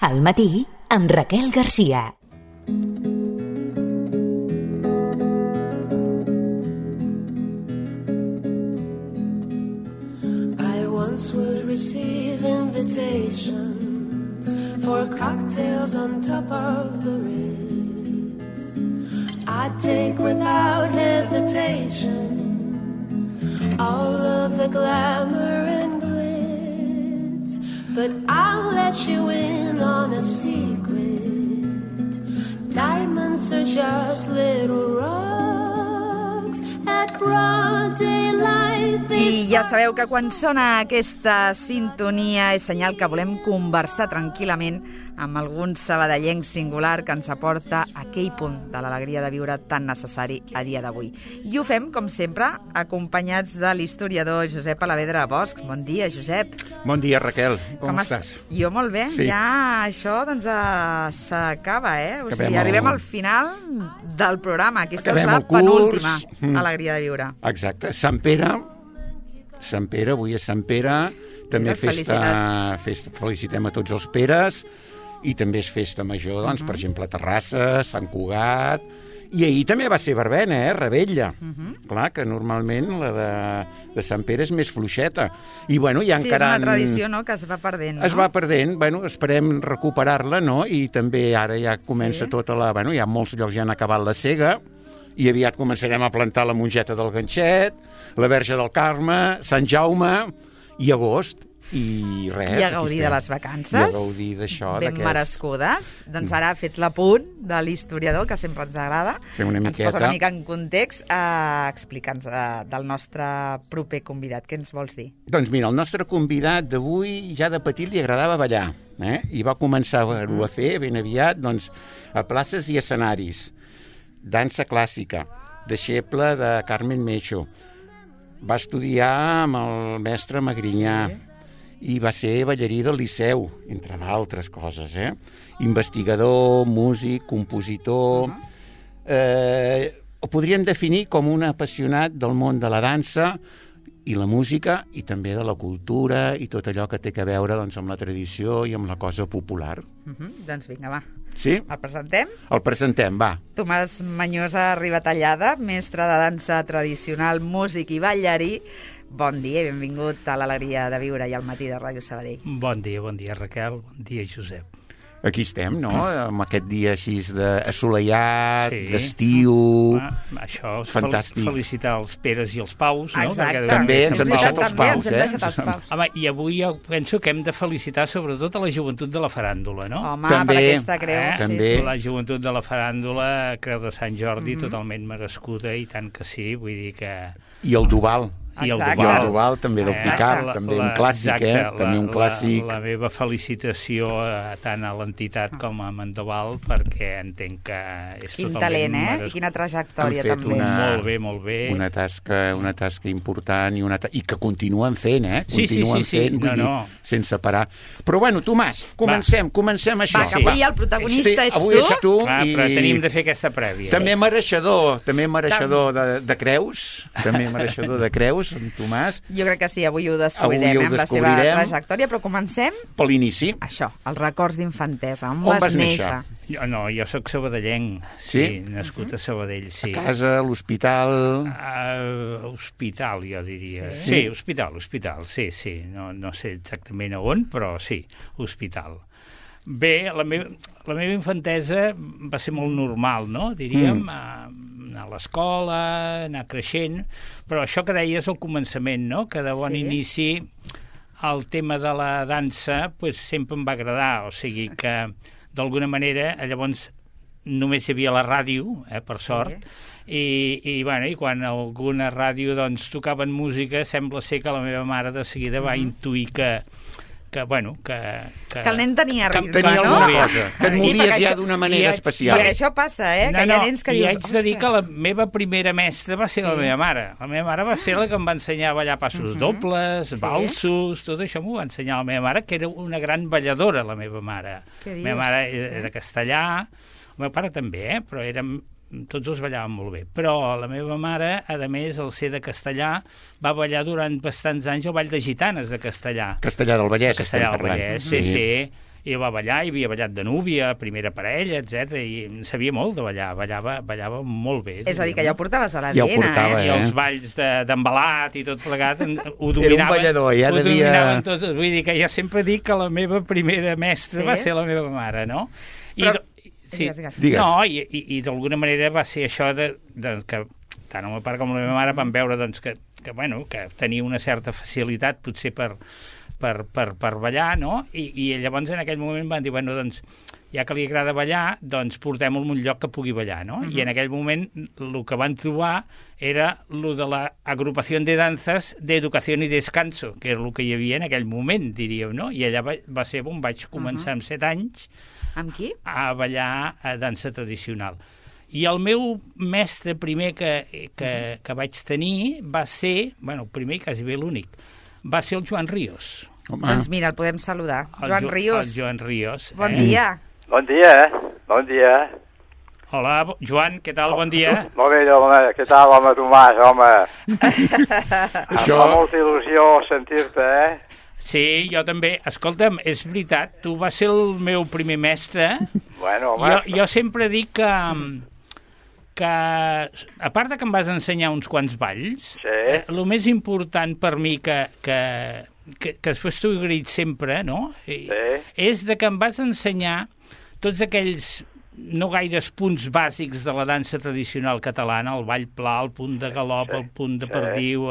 Al matí, amb Raquel Garcia. I once would receive invitations for cocktails on top of the Ritz. I'd take without hesitation all of the glamour and glitz, but I'll let you in on a secret. Diamonds are just little rocks at broad daylight. I ja sabeu que quan sona aquesta sintonia és senyal que volem conversar tranquil·lament amb algun sabadellenc singular que ens aporta aquell punt de l'alegria de viure tan necessari a dia d'avui. I ho fem, com sempre, acompanyats de l'historiador Josep Alavedra Bosch. Bon dia, Josep. Bon dia, Raquel. Com estàs? Jo molt bé. Sí. Ja això doncs s'acaba, O sigui, arribem al final del programa. Aquesta és la penúltima alegria de viure. Exacte. Sant Pere, avui és Sant Pere. També felicitem a tots els Peres. I també és festa major, doncs, per exemple, a Terrassa, Sant Cugat. I ahir també va ser verbena, Rebella. Clar, que normalment la de Sant Pere és més fluixeta. I, bueno, ja encara... Sí, és una tradició, no?, que es va perdent, no? Es va perdent, bueno, esperem recuperar-la, no? I també ara ja comença tota la... Bueno, ja molts llocs ja han acabat la sega, i aviat començarem a plantar la mongeta del Ganxet, la Verge del Carme, Sant Jaume i agost. I res, i a gaudir de les vacances, i a gaudir d'això, ben merescudes. Doncs ara ha fet l'apunt de l'historiador, que sempre ens agrada, ens posa una mica en context. Explica'ns del nostre proper convidat, què ens vols dir? Doncs mira, el nostre convidat d'avui ja de petit li agradava ballar, i va començar a fer ben aviat, doncs, a places i escenaris. Dansa clàssica, deixeble de Carmen Mecho. Va estudiar amb el mestre Magrinyà, i va ser ballarí del Liceu, entre d'altres coses, Investigador, músic, compositor... Ho podríem definir com un apassionat del món de la dansa i la música, i també de la cultura i tot allò que té a veure, doncs, amb la tradició i amb la cosa popular. Doncs vinga, va. Sí? El presentem? El presentem, va. Tomàs Manyosa Ribatallada, mestre de dansa tradicional, músic i ballarí. Bon dia i benvingut a l'Alegria de Viure i al matí de Ràdio Sabadell. Bon dia, Raquel. Bon dia, Josep. Aquí estem, no?, amb aquest dia així assolellat, d'estiu... Això, fantàstic. Felicitar els Peres i els Paus, no? Exacte. També ens hem deixat els Paus, Home, i avui jo penso que hem de felicitar sobretot a la joventut de la faràndula, no? Home, també, per aquesta creu. També. La joventut de la faràndula, Creu de Sant Jordi, totalment merescuda, i tant que sí, vull dir que... I el Duval. I el Duval també del Picard, també un clàssic, també un clàssic. La meva felicitació tant a l'entitat com a Mandoval, perquè entenc que és quin totalment talent, I quina trajectòria, també. Molt bé. Una tasca important i que continuen fent, Continuen fent, vull dir, sense parar. Però bueno, Tomàs, comencem això. Va, que avui el protagonista ets tu. Avui ets tu. Però tenim de fer aquesta prèvia. També mereixedor de creus, en Tomàs. Jo crec que sí, avui ho descobrirem, amb la seva trajectòria, però comencem... Per l'inici. Això, els records d'infantesa. On vas néixer? Jo soc sabadellenc, nascut a Sabadell, sí. A casa, a l'hospital... Hospital, jo diria. Sí, hospital, sí. No sé exactament a on, però sí, hospital. Bé, la meva infantesa va ser molt normal, no? Diríem, anar a l'escola, anar creixent, però això que deies al començament, no?, que de bon inici el tema de la dansa sempre em va agradar, o sigui que d'alguna manera llavors només hi havia la ràdio, per sort, i quan alguna ràdio doncs tocaven música, sembla ser que la meva mare de seguida va intuir que el nen tenia ritme, tenia alguna cosa, que et movies ja d'una manera especial. I això passa, que hi ha nens que dius... I haig de dir que la meva primera mestra va ser la meva mare. La meva mare va ser la que em va ensenyar a ballar passos dobles, valsos, tot això m'ho va ensenyar la meva mare, que era una gran balladora, la meva mare. La meva mare era castellà, el meu pare també, però érem... tots dos ballaven molt bé, però la meva mare, a més, al ser de Castellà, va ballar durant bastants anys el ball de gitanes de Castellà. Castellà del Vallès, Castellà del Vallès, sí. i va ballar, i havia ballat de núvia, primera parella, etc. I en sabia molt de ballar, ballava molt bé. És a dir, que ja ho portaves a Ja ho l'ADN, portava, I els balls d'embalat i tot plegat ho dominaven. Era un ballador, ja ho devia... dominaven tot. Vull dir que jo sempre dic que la meva primera mestra va ser la meva mare, no? Però... Sí. Digues. No, i d'alguna manera va ser això que tant el meu pare com la meva mare van veure doncs, que tenia una certa facilitat potser per ballar, no? I llavors en aquell moment van dir, doncs, ja que li agrada ballar, doncs portem-lo en un lloc que pugui ballar, no? I en aquell moment el que van trobar era lo de l'agrupació de danses d'educació i descanso, que era el que hi havia en aquell moment, diríem, no? I allà va ser on vaig començar amb 7 anys amb qui? A ballar a dansa tradicional. I el meu mestre primer que vaig tenir va ser, el primer i quasi bé l'únic, va ser el Joan Ríos. Home. Doncs mira, el podem saludar. Joan Ríos. El Joan Ríos. Bon dia. Bon dia. Hola, Joan, què tal? Bon dia. Molt bé, home, què tal, home, Tomàs, home? Això... Em fa molta il·lusió sentir-te, Sí, jo també. Escolta'm, és veritat, tu vas ser el meu primer mestre. Bueno, home... Jo sempre dic que a part de que em vas ensenyar uns quants balls, el més important per mi que després t'ho he agraït sempre, no? És de que em vas ensenyar tots aquells no gaires punts bàsics de la dansa tradicional catalana, el ball pla, el punt de galop, el punt de perdiu,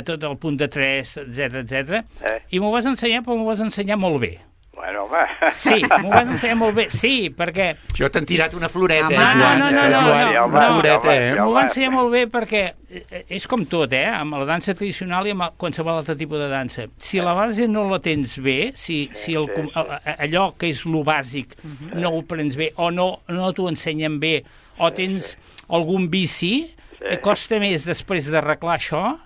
tot el punt de tres, etc. I m'ho vas ensenyar, però m'ho vas ensenyar molt bé. Bueno, home... Sí, m'ho vas ensenyar molt bé, sí, perquè... Jo t'han tirat una floreta, Joan. No, una floreta, M'ho va ensenyar molt bé perquè és com tot, amb la dansa tradicional i amb qualsevol altre tipus de dansa. Si la base no la tens bé, si allò que és lo bàsic no ho prens bé o no t'ho ensenyen bé o tens algun vici, costa més després d'arreglar això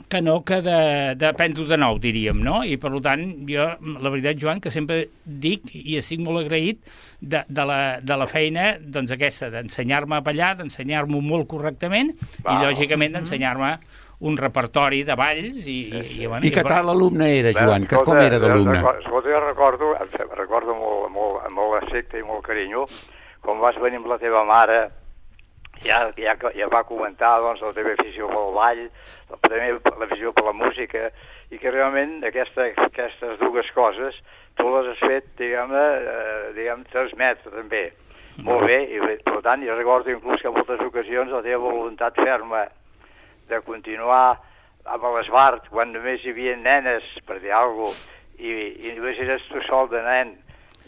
que d'aprendre-ho de nou, diríem, no? I, per tant, jo, la veritat, Joan, que sempre dic, i estic molt agraït de la feina, doncs aquesta, d'ensenyar-me a ballar, d'ensenyar-m'ho molt correctament, i, lògicament, d'ensenyar-me un repertori de balls. I que tal alumne era, Joan? Com era d'alumne? Escolta, jo recordo molt respecte i molt carinyo, com vas venir amb la teva mare, ja va comentar doncs, la teva afició pel ball, també l'afició per la música, i que realment aquestes dues coses tu les has fet, diguem, transmetre també. Molt bé, i per tant, jo recordo inclús que en moltes ocasions la teva voluntat ferma de continuar amb l'Esbart, quan només hi havia nenes, per dir alguna cosa, i només eres tu sol de nen,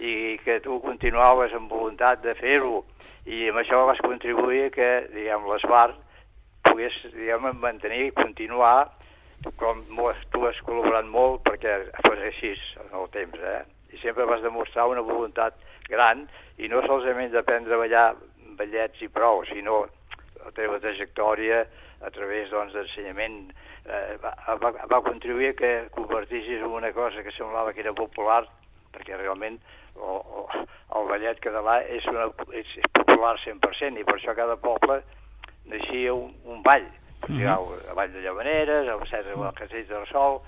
i que tu continuaves amb voluntat de fer-ho, i amb això vas contribuir que, diguem, l'Esbart pogués, diguem, mantenir i continuar, com tu has col·laborat molt perquè fos així en el temps, I sempre vas demostrar una voluntat gran, i no solament d'aprendre a ballar ballets i prou, sinó la teva trajectòria a través, doncs, d'ensenyament va contribuir que convertissis en una cosa que semblava que era popular, perquè realment el ballet català és popular 100%, i per això cada poble naixia un ball. El ball de Llavaneres, el Castell de Sol,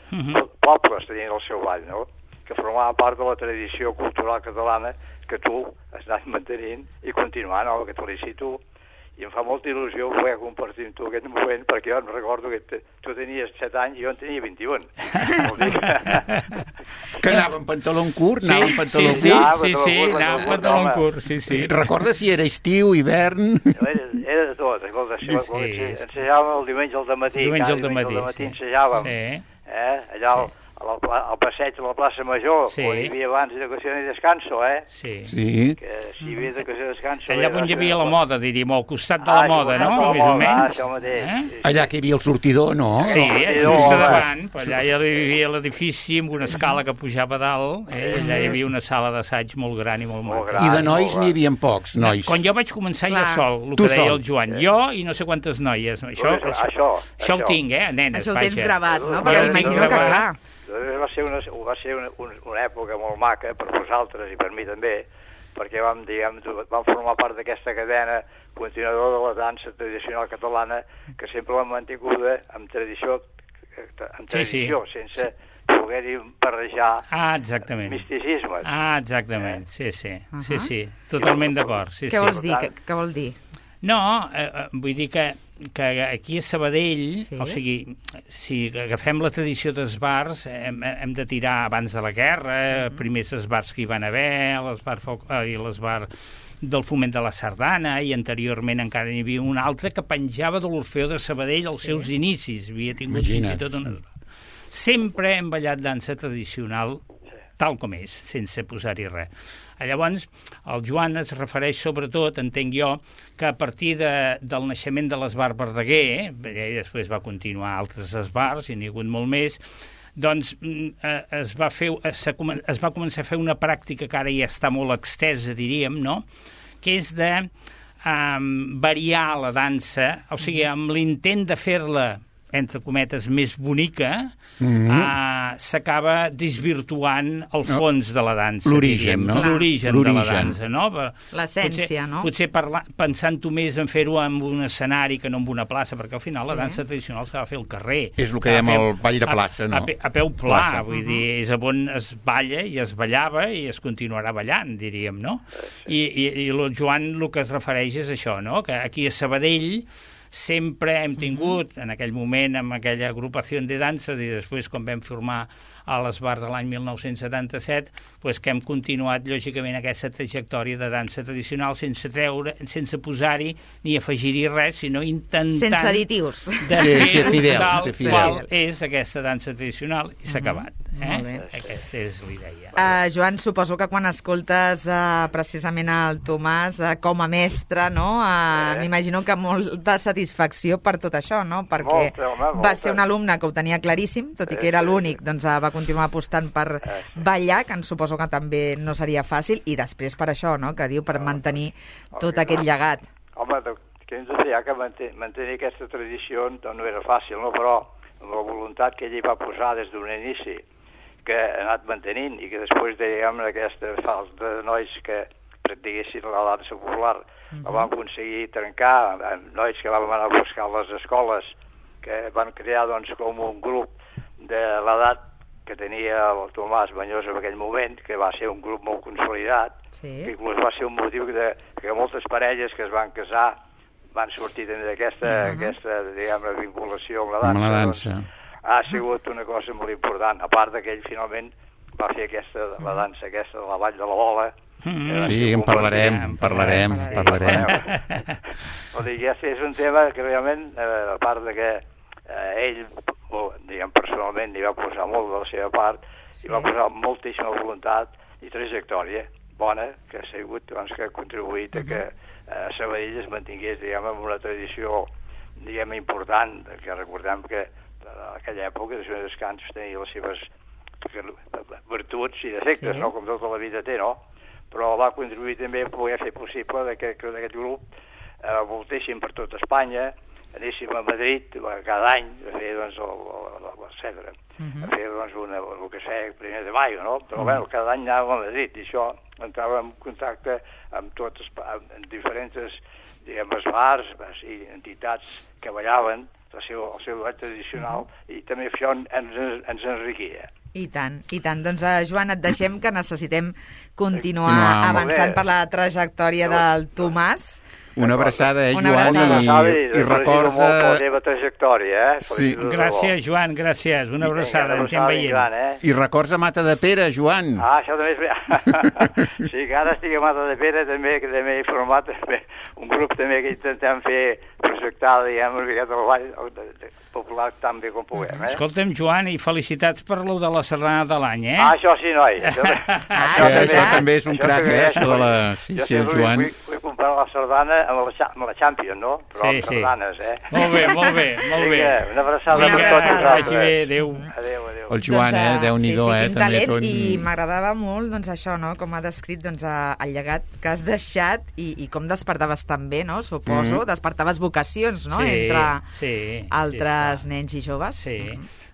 pobles tenien el seu ball, no? Que formava part de la tradició cultural catalana que tu has anat mantenint i continuant, que te felicito. I em fa molta il·lusió poder compartir amb tu aquest moment, perquè jo em recordo que tu tenies 7 anys i jo en tenia 21. Que anava amb pantaló curt? Sí, anava amb pantaló curt, sí. Recordes si era estiu, hivern? Era de tot, escolta, ensejàvem el diumenge al dematí, cada diumenge al dematí ensejàvem, allà al passeig de la plaça Major, on hi havia abans educació i descanso, Sí. Que si hi havia educació i descanso... Allà on hi havia la moda, diríem, al costat de la moda, no? Més o menys. Això mateix. Allà que hi havia el sortidor, no? Sí, just davant, allà hi havia l'edifici amb una escala que pujava a dalt, allà hi havia una sala d'assaig molt gran i molt maca. I de nois n'hi havia pocs, nois. Quan jo vaig començar jo sol, el que deia el Joan, jo i no sé quantes noies. Això ho tinc, nenes, això ho tens gravat, no? Perquè m'imagino que, clar... Va ser una època molt maca per vosaltres i per mi també, perquè vam formar part d'aquesta cadena continuadora de la dansa tradicional catalana que sempre l'hem mantinguda amb tradició, sense poder-hi barrejar exactament. misticismes. Exactament, sí. Totalment d'acord. Sí, Què vols dir? Què vol dir? No, vull dir que aquí a Sabadell, Sí. o sigui, si agafem la tradició dels bars, hem de tirar abans de la guerra, primers els bars que hi van haver, i les bars del Foment de la Sardana, i anteriorment encara n'hi havia un altre que penjava de l'Orfeó de Sabadell als seus inicis. Havia tingut fins i tot unes... Sempre hem ballat dansa tradicional tal com és, sense posar-hi res. Llavors, el Joan es refereix sobretot, entenc jo, que a partir del naixement de l'Esbar Verdaguer, i després va continuar altres esbars, i n'hi ha hagut molt més, doncs es va començar a fer una pràctica que ara ja està molt extesa, diríem, no?, que és de variar la dansa, o sigui, amb l'intent de fer-la, entre cometes, més bonica, s'acaba desvirtuant el fons de la dansa. L'origen, no? L'origen de la dansa, no? L'essència, no? Potser pensant-ho més en fer-ho en un escenari que no en una plaça, perquè al final la dansa tradicional s'ha de fer al carrer. És el que dèiem el ball de plaça, no? A peu pla, vull dir, és on es balla i es ballava i es continuarà ballant, diríem, no? I el Joan el que es refereix és això, no? Que aquí a Sabadell sempre hem tingut, en aquell moment, amb aquella agrupació de dansa, i després, quan vam formar a l'Esbar de l'any 1977, doncs que hem continuat, lògicament, aquesta trajectòria de dansa tradicional sense posar-hi ni afegir-hi res, sinó intentant... Sense additius. De fer fidel, tal qual és aquesta dansa tradicional, i s'ha acabat. Aquesta és la idea. Joan, suposo que quan escoltes precisament el Tomàs com a mestre, no? M'imagino que molta satisfacció per tot això, no? Perquè va ser un alumne que ho tenia claríssim, tot i que era l'únic, doncs va continuar apostant per ballar, que em suposo que també no seria fàcil, i després per això, no?, que diu, per mantenir tot aquest llegat. Home, què ens deia que mantenir aquesta tradició no era fàcil, no? Però amb la voluntat que ell hi va posar des d'un inici, que ha anat mantenint, i que després, diguem, aquesta falta de nois que practiquessin la dansa popular, la van aconseguir trencar, amb nois que van anar a buscar a les escoles, que van crear, doncs, com un grup de l'edat que tenia el Tomàs Banyós en aquell moment, que va ser un grup molt consolidat, que inclús va ser un motiu que moltes parelles que es van casar van sortir també d'aquesta diguem, vinculació amb la dansa. Ha sigut una cosa molt important, a part que ell finalment va fer la dansa aquesta de la Vall de la Bola. Sí, en parlarem. Vol dir, és un tema que realment, a part que ell, diguem, personalment hi va posar molt de la seva part, hi va posar moltíssima voluntat i trajectòria bona, que ha sigut, doncs, que ha contribuït a que Sabadell es mantingués, diguem, amb una tradició, diguem, important, que recordem que en aquella època de descans tenia les seves virtuts i defectes, no?, com tota la vida té, no? Però va contribuir també a poder fer possible que aquest grup voltéssim per tot Espanya, anéssim a Madrid cada any a fer, doncs, el Cedre, a fer, doncs, el que es feia el 1 de maio, no? Però, bueno, cada any anàvem a Madrid, i això entrava en contacte amb tots, amb diferents, diguem, bars i entitats que ballaven el seu ball tradicional, i també això ens enriquia. I tant. Doncs, Joan, et deixem, que necessitem continuar avançant per la trajectòria del Tomàs. Una abraçada, Una Joan, abraçada. i records... molt la teva trajectòria, Sí. Gràcies, Joan, gràcies. Una abraçada, ens hem veient. I records a Mata de Pere, Joan. Això també és... Sí, que ara estic a Mata de Pere, també, que també he format un grup també que intentem fer projectar, diguem, una miqueta el ball popular tan bé com puguem. Escolta'm, Joan, i felicitats per lo de la sardana de l'any, eh? Això sí, noi. Això també és un crac, això de la... Sí, el Joan. Vull comprar la sardana amb la Champions, no? Però amb sardanes, Molt bé. Una abraçada. Vagi bé, adéu. El Joan, Déu-n'hi-do, quin també. talent, i m'agradava molt, doncs, això, no?, com ha descrit, doncs, el llegat que has deixat i com despertaves també, no?, suposo, despertaves vocacions, no?, entre altres nens i joves. Sí.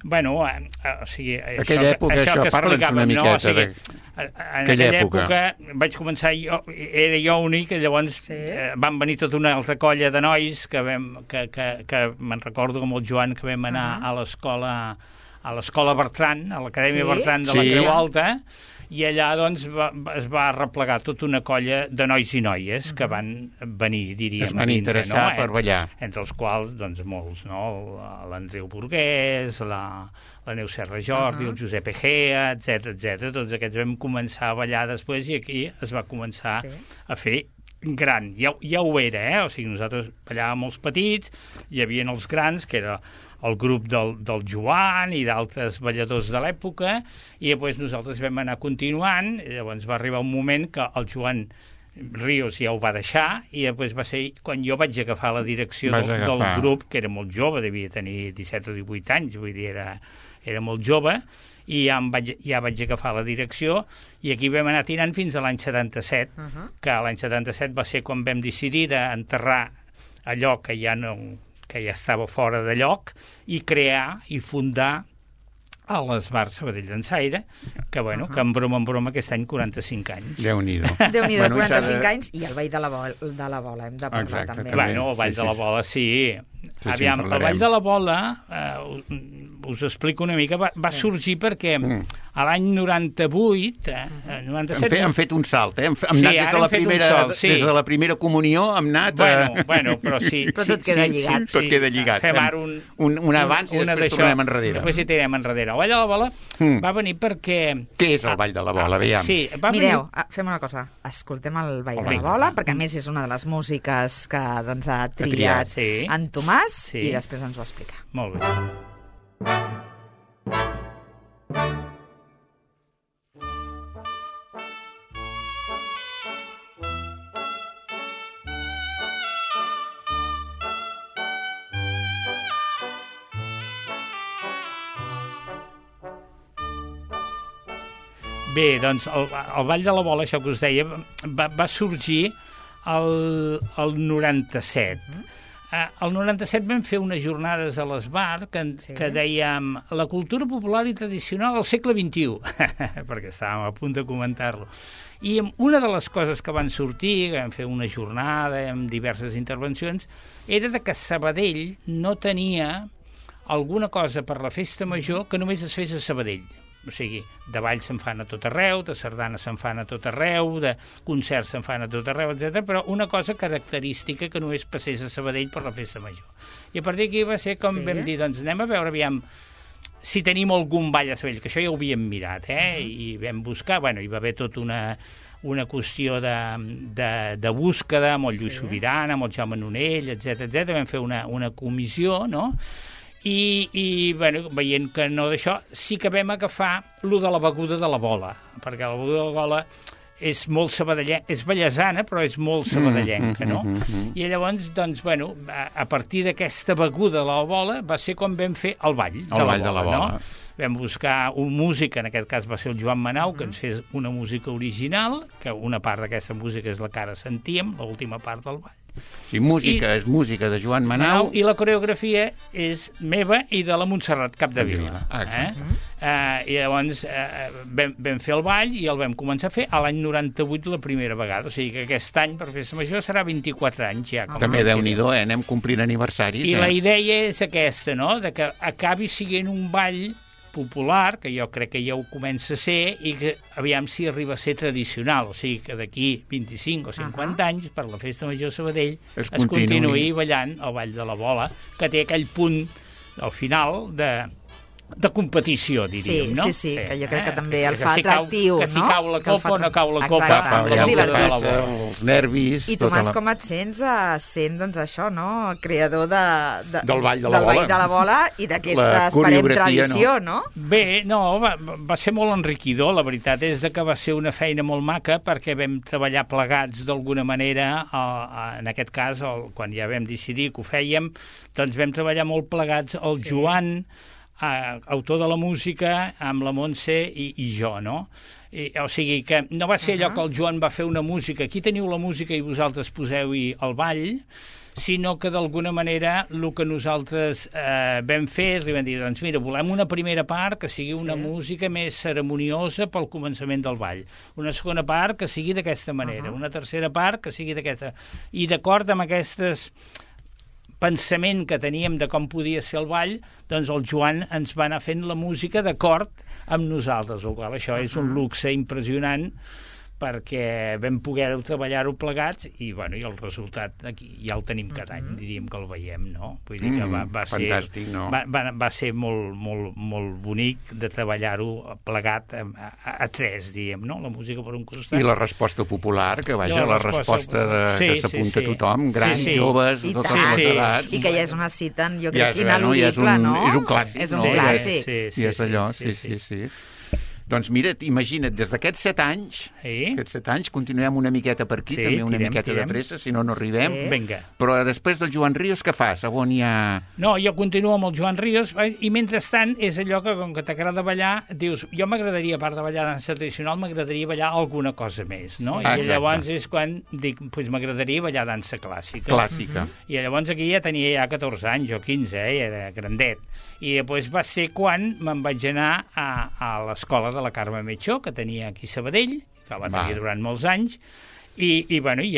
Bueno, o sigui... Aquella època, això, parla'ns una miqueta en aquella època vaig començar, era jo únic, llavors van venir tota una altra colla de nois que me'n recordo com el Joan, que vam anar a l'escola a l'escola Bertran, a l'Acadèmia Sí? Bertran de la Creu Alta, i allà doncs es va replegar tota una colla de nois i noies que van venir, diríem, es van interessar per ballar. Entre els quals, doncs, molts, no? L'Andreu Burguès, la Neus Serra Jordi, el Josep Egea, etc. Tots aquests vam començar a ballar després i aquí es va començar a fer gran. Ja ho era, O sigui, nosaltres ballàvem els petits, hi havia els grans, que era el grup del Joan i d'altres balladors de l'època, i després nosaltres vam anar continuant, i llavors va arribar un moment que el Joan Ríos ja ho va deixar, i després va ser quan jo vaig agafar la direcció del grup, que era molt jove, devia tenir 17 o 18 anys, vull dir, era molt jove, i ja vaig agafar la direcció, i aquí vam anar tirant fins a l'any 77, que l'any 77 va ser quan vam decidir d'enterrar allò que ja estava fora de lloc, i crear i fundar a l'Esbar Sabadell Dansaire, que, que en broma aquest any 45 anys. Déu-n'hi-do. Déu-n'hi-do, 45 anys, i el Ball de la Bola hem de parlar també. Bueno, el Ball de la Bola, sí. Aviam, el Ball de la Bola, us explico una mica, va sorgir perquè a l'any 98... 97... Hem fet un salt, Hem anat des de la primera comunió, hem anat... Bueno, però sí. Però tot queda lligat. Tot queda lligat. Fem ara un abans i després tornem enrere. Després hi tirem enrere. El Ball de la Bola va venir perquè... Què és el Ball de la Bola, veiem? Sí, mireu, fem una cosa, escoltem el Ball de la Bola, perquè a més és una de les músiques que ha triat en Tomàs, i després ens ho explica. Molt bé. Bé, doncs el Ball de la Bola, això que us deia, va sorgir el 97. El 97 vam fer unes jornades a l'Esbar que dèiem la cultura popular i tradicional al segle XXI, perquè estàvem a punt de comentar-lo. I una de les coses que van sortir, que vam fer una jornada amb diverses intervencions, era que Sabadell no tenia alguna cosa per la festa major que només es fes a Sabadell. O sigui, de ball se'n fan a tot arreu, de sardanes se'n fan a tot arreu, de concerts se'n fan a tot arreu, etc. Però una cosa característica que només passés a Sabadell per la festa major. I a partir d'aquí va ser com vam dir, doncs anem a veure, aviam, si tenim algun ball a Sabadell, que això ja ho havíem mirat, i vam buscar, hi va haver tota una qüestió de búsqueda amb el Lluís Sobirana, amb el Jaume Nonell, etc. Vam fer una comissió, no?, i veient que no d'això, sí que vam agafar lo de la beguda de la bola, perquè la beguda de la bola és molt sabadellenca, és ballesana, però és molt sabadellenca, no? I llavors, doncs, a partir d'aquesta beguda de la bola va ser quan vam fer el ball de la bola, no? Vam buscar un músic, en aquest cas va ser el Joan Manau, que ens fes una música original, que una part d'aquesta música és la que ara sentíem, l'última part del ball. Sí, és música de Joan Manau. I la coreografia és meva i de la Montserrat Capdevila. I llavors vam fer el ball i el vam començar a fer a l'any 98 la primera vegada. O sigui que aquest any, per festa major, serà 24 anys ja. També Déu-n'hi-do, anem complint aniversaris. I la idea és aquesta, no?, de que acabi sent un ball popular, que jo crec que ja ho comença a ser, i que aviam si arriba a ser tradicional, o sigui que d'aquí 25 o 50 anys, per la Festa Major Sabadell, es continuï ballant el Ball de la Bola, que té aquell punt al final de competició, diríem, no? Sí, que jo crec que també el fa atractiu, no? Que si cau la copa o no cau la copa. Els nervis... I Tomàs, com et sents sent, doncs, això, no?, creador del Ball de la Bola i d'aquesta, esperem, tradició, no? Bé, no, va ser molt enriquidor, la veritat és que va ser una feina molt maca perquè vam treballar plegats d'alguna manera, en aquest cas, quan ja vam decidir que ho fèiem, doncs vam treballar molt plegats el Joan, autor de la música, amb la Montse i jo, no? O sigui que no va ser allò que el Joan va fer una música, aquí teniu la música i vosaltres poseu-hi el ball, sinó que d'alguna manera el que nosaltres vam fer és vam dir, doncs mira, volem una primera part que sigui una música més ceremoniosa pel començament del ball, una segona part que sigui d'aquesta manera, una tercera part que sigui d'aquesta... I d'acord amb aquestes pensament que teníem de com podia ser el ball, doncs el Joan ens va anar fent la música d'acord amb nosaltres, el qual això és un luxe impressionant, perquè vam poder treballar-ho plegats i, bueno, i el resultat aquí ja el tenim cada any, diríem que el veiem, no? Vull dir que va ser... Fantàstic, no? Va ser molt bonic de treballar-ho plegat a tres, diríem, no? La música per un costat. I la resposta popular, que vaja, la resposta que s'apunta tothom, grans, joves, de totes les edats. I que ja és una cita, jo crec, ineludible, no? És un clàssic, és un clàssic. I és allò, sí. Doncs mira't, imagina't, des d'aquests 7 anys, aquests 7 anys, continuem una miqueta per aquí, també una miqueta de pressa, si no arribem. Vinga. Però després del Joan Ríos, què fas? A on hi ha... No, jo continuo amb el Joan Ríos, i mentrestant és allò que, com que t'agrada ballar, dius, jo m'agradaria, a part de ballar dansa tradicional, m'agradaria ballar alguna cosa més, no? I llavors és quan dic, doncs m'agradaria ballar dansa clàssica. I llavors aquí ja tenia ja 14 anys o 15, era grandet. I després va ser quan me'n vaig anar a l'escola de la Carme Metxó, que tenia aquí a Sabadell, que va tenir durant molts anys, i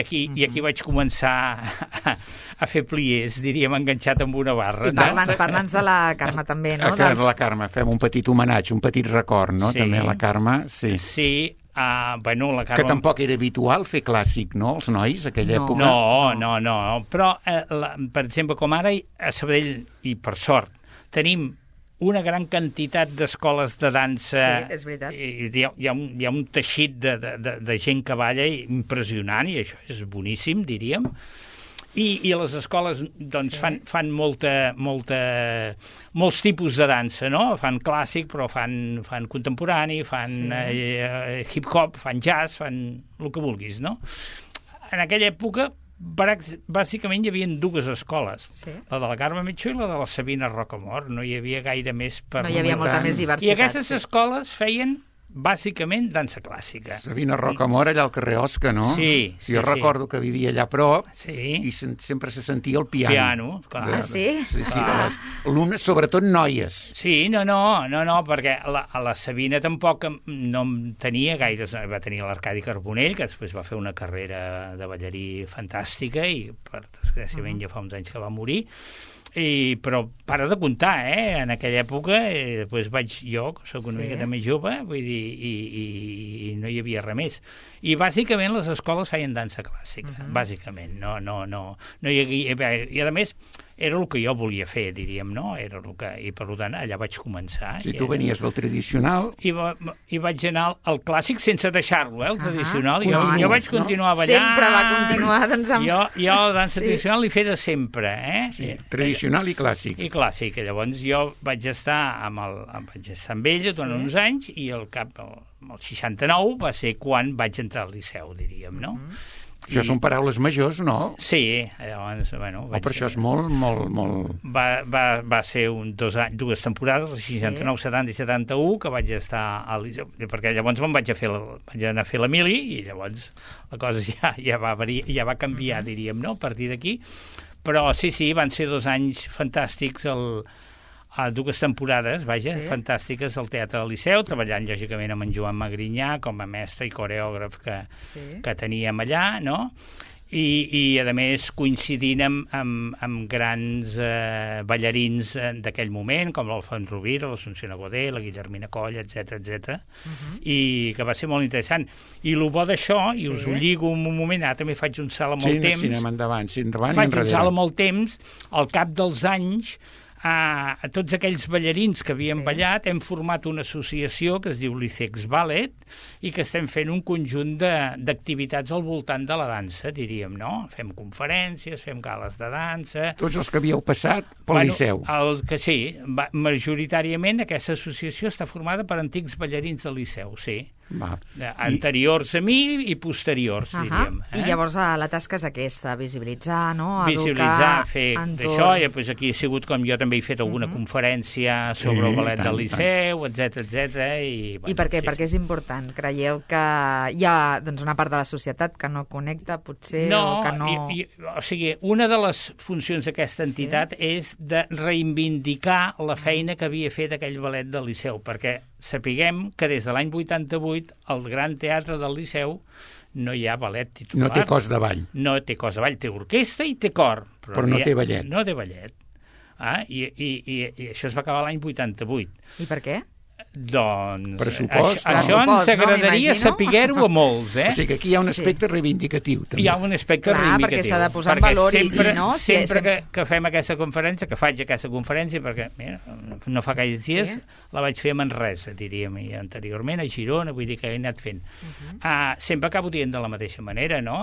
aquí vaig començar a fer pliers, diríem, enganxat amb una barra. Parla'ns de la Carme també, no? De la Carme, fem un petit homenatge, un petit record, no? També a la Carme, sí. Sí, bueno, la Carme... Que tampoc era habitual fer clàssic, no?, els nois, aquella època. No, però, per exemple, com ara a Sabadell, i per sort, tenim una gran quantitat d'escoles de dansa. Sí, és veritat. Hi ha un teixit de gent que balla impressionant, i això és boníssim, diríem. I les escoles doncs, fan molts tipus de dansa, no? Fan clàssic, però fan contemporani, fan hip-hop, fan jazz, fan el que vulguis, no? En aquella època, bàsicament hi havia dues escoles, la de la Carme Metxó i la de la Sabina Rocamort, no hi havia gaire més per... No hi havia molta més diversitat. I aquestes escoles feien bàsicament dansa clàssica. Sabina Rocamort allà al carrer Osca, no? Sí. Jo recordo que vivia allà a prop i sempre se sentia el piano. Clar. Sí? Sí, alumnes, sobretot noies. Sí, no, perquè la Sabina tampoc no tenia gaires... Va tenir l'Arcadi Carbonell, que després va fer una carrera de ballarí fantàstica i, per desgràciament, ja fa uns anys que va morir. Però para de comptar, en aquella època, després vaig jo, que soc una miqueta més jove, vull dir, i no hi havia res més. I bàsicament les escoles feien dansa clàssica, bàsicament. No hi havia... I a més, era el que jo volia fer, diríem, no? I per tant, allà vaig començar. Si tu venies del tradicional... I vaig anar al clàssic sense deixar-lo, el tradicional. Jo vaig continuar ballant. Sempre va continuar, doncs, amb... Jo la dansa tradicional l'he fet sempre, Sí, tradicional i clàssic. I clàssic. Llavors jo vaig estar amb ell durant uns anys i al 69 va ser quan vaig entrar al Liceu, diríem, no? Això són paraules majors, no? Sí, llavors, bueno... Però això és molt... Va ser dues temporades, el 69, 70 i 71, que vaig estar al Liceu, perquè llavors vaig anar a fer la mili, i llavors la cosa ja va canviar, diríem, no?, a partir d'aquí. Però sí, van ser 2 anys fantàstics, dues temporades, fantàstiques al Teatre del Liceu, treballant lògicament amb en Joan Magrinyà com a mestre i coreògraf que teníem allà, no? I a més coincidint amb grans ballarins d'aquell moment, com l'Alfons Rovira, l'Assumpció Aguadé, la Guillermina Coll, etc. I que va ser molt interessant. I el bo d'això, i us ho lligo un moment, ara també faig un salt amb el temps. Sí, anem endavant i enrere. Faig un salt amb el temps, al cap dels anys, a tots aquells ballarins que havien ballat hem format una associació que es diu l'Icex Ballet i que estem fent un conjunt d'activitats al voltant de la dansa, diríem, no? Fem conferències, fem gales de dansa... Tots els que havíeu passat pel Liceu. Sí, majoritàriament aquesta associació està formada per antics ballarins del Liceu, sí. Anteriors a mi i posteriors, diríem. I llavors la tasca és aquesta, visibilitzar, no? Visibilitzar, fer d'això, i després aquí ha sigut com jo també he fet alguna conferència sobre el ballet del Liceu, etc. I per què? Perquè és important. Creieu que hi ha una part de la societat que no connecta, potser, o que no... O sigui, una de les funcions d'aquesta entitat és de reivindicar la feina que havia fet aquell ballet del Liceu, perquè sapiguem que des de l'any 88 al Gran Teatre del Liceu no hi ha ballet titular. No té cos de ball. No té cos de ball, té orquestra i té cor. Però no té ballet. No té ballet. I això es va acabar l'any 88. I per què? Doncs Pressupost, això ens agradaria saber-ho a molts, O sigui que aquí hi ha un aspecte reivindicatiu, també. Hi ha un aspecte reivindicatiu. Perquè s'ha de posar en valor sempre, i no... Sempre que fem aquesta conferència, que faig aquesta conferència, perquè mira, no fa gaires dies la vaig fer a Manresa, diríem, i anteriorment a Girona, vull dir que he anat fent. Sempre acabo dient de la mateixa manera, no?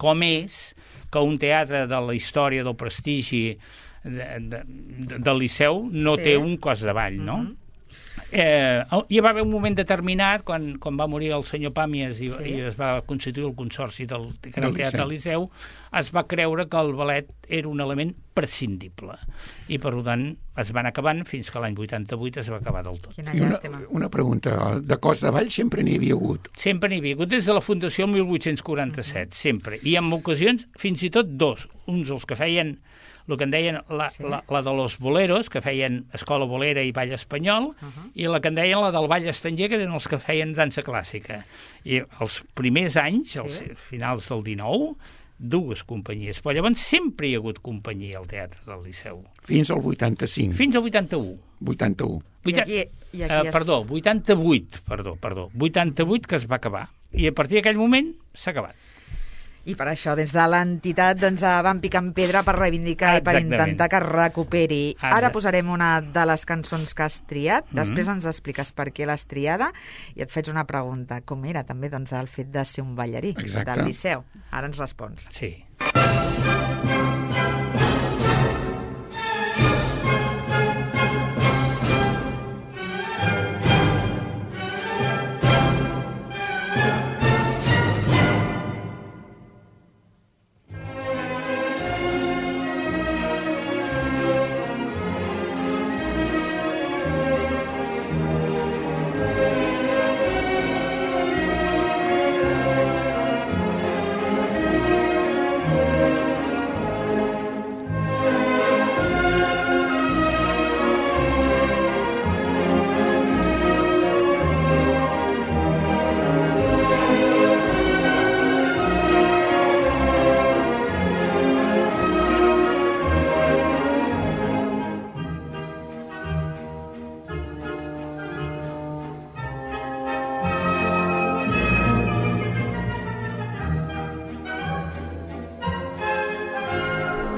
Com és que un teatre de la història del prestigi del Liceu no té un cos de ball, no? Hi va haver un moment determinat quan va morir el senyor Pàmies i es va constituir el consorci del Gran Teatre del Liceu, es va creure que el ballet era un element prescindible i per tant es van acabant fins que l'any 88 es va acabar del tot. I una pregunta, de cos de ball sempre n'hi havia hagut? Sempre n'hi havia hagut, des de la fundació el 1847, sempre, i en ocasions fins i tot dos, uns els que feien el que en deien la de los boleros, que feien escola bolera i ball espanyol, i la que en deien la del ball estranger, que eren els que feien dansa clàssica. I els primers anys, als finals del 19, dues companyies, però llavors sempre hi ha hagut companyia al Teatre del Liceu. Fins al 85. Fins al 81. 81. Perdó, 88 que es va acabar. I a partir d'aquell moment s'ha acabat. I per això, des de l'entitat, doncs, van picant pedra per reivindicar i per intentar que es recuperi. Ara posarem una de les cançons que has triat, després ens expliques per què l'has triada, i et faig una pregunta. Com era també doncs, el fet de ser un ballarí del Liceu? Ara ens respons. Sí.